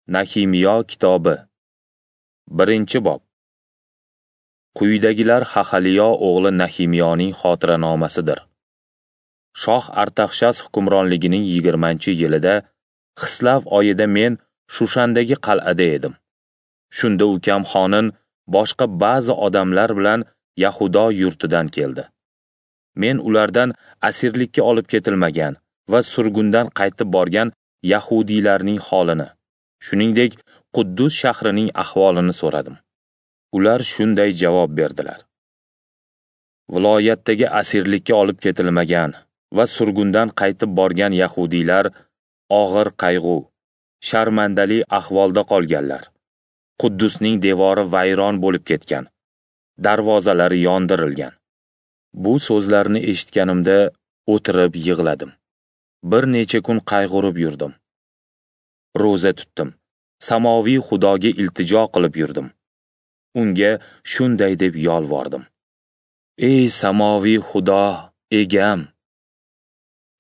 Nahimiyo kitobi, 1-bob. Quyidagilar Hahaliyo o'g'li Nahimiyoning xotiranomasidir. Shoh Artaxshas hukmronligining 20-yilida Xislav oyida men Shushandagi qal'ada edim. Shunda ukam Xonin boshqa ba'zi odamlar bilan Yahudo yurtidan keldi. Men ulardan asirlikka olib ketilmagan va surgundan qaytib borgan yahudiylarning holini, shuningdek, Quddus shahrining ahvolini so'radim. Ular shunday javob berdilar: Viloyatdagi asirlikka olib ketilmagan va surgundan qaytib borgan yahudiylar og'ir qayg'u, sharmandali ahvolda qolganlar. Quddusning devori vayron bo'lib ketgan, darvozalari yondirilgan. Bu so'zlarni eshitganimda o'tirib yig'ladim. Bir necha kun qayg'urib yurdim. Ro'za tutdim. Samoviy Xudoga iltijo qilib yurdim. Unga shunday deb yolvordim: Ey samoviy Xudo, egam!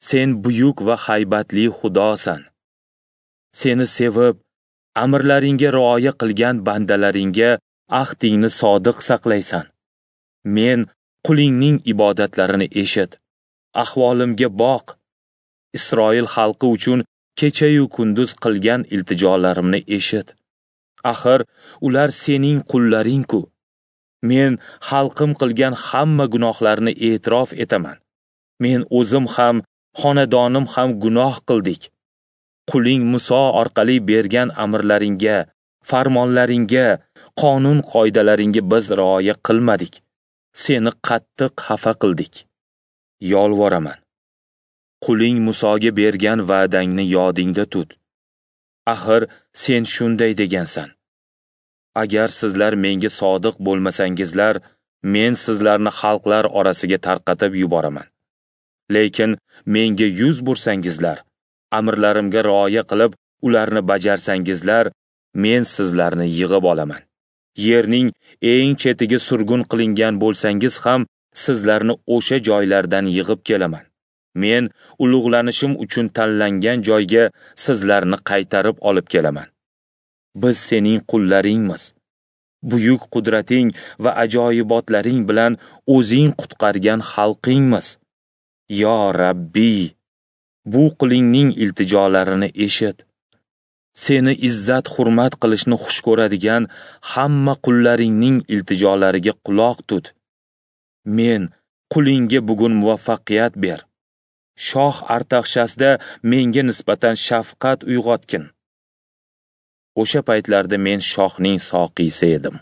Sen buyuk va haybatli Xudosan. Seni sevib, amrlaringga rioya qilgan bandalaringga ahdingni sodiq saqlaysan. Men qulingning ibodatlarini eshit, ahvolimga boq. Isroil xalqi uchun kecha-yu kunduz qilgan iltijolarimni eshit. Axir ular sening qullaring-ku. Men xalqim qilgan hamma gunohlarni e'tirof etaman. Men o'zim ham, xonadonim ham gunoh qildik. Quling Muso orqali bergan amrlaringga, farmonlaringga, qonun qoidalaringga biz rioya qilmadik. Seni qattiq xafa qildik. Yolvoraman. Quling Musoga bergan va'dangni yodingda tut. Axir sen shunday degansan: Agar sizlar menga sodiq bo'lmasangizlar, men sizlarni xalqlar orasiga tarqatib yuboraman. Lekin menga yuz bursangizlar, amrlarimga rioya qilib, ularni bajarsangizlar, men sizlarni yig'ib olaman. Yerning eng chetiga surgun qilingan bo'lsangiz ham, sizlarni o'sha joylardan yig'ib kelaman. Men ulug'lanishim uchun tanlangan joyga sizlarni qaytarib olib kelaman. Biz sening qullaringmiz. Buyuk qudrating va ajoyibotlaring bilan o'zing qutqargan xalqingmiz. Yo Rabbiy, bu qulingning iltijolarini eshit. Seni izzat hurmat qilishni xush ko'radigan hamma qullaringning iltijolariga quloq tut. Men qulingga bugun muvaffaqiyat ber. Shoh Artaxshasda menga nisbatan shafqat uyg'otgin. O'sha paytlarda men shohning soqiysi edim.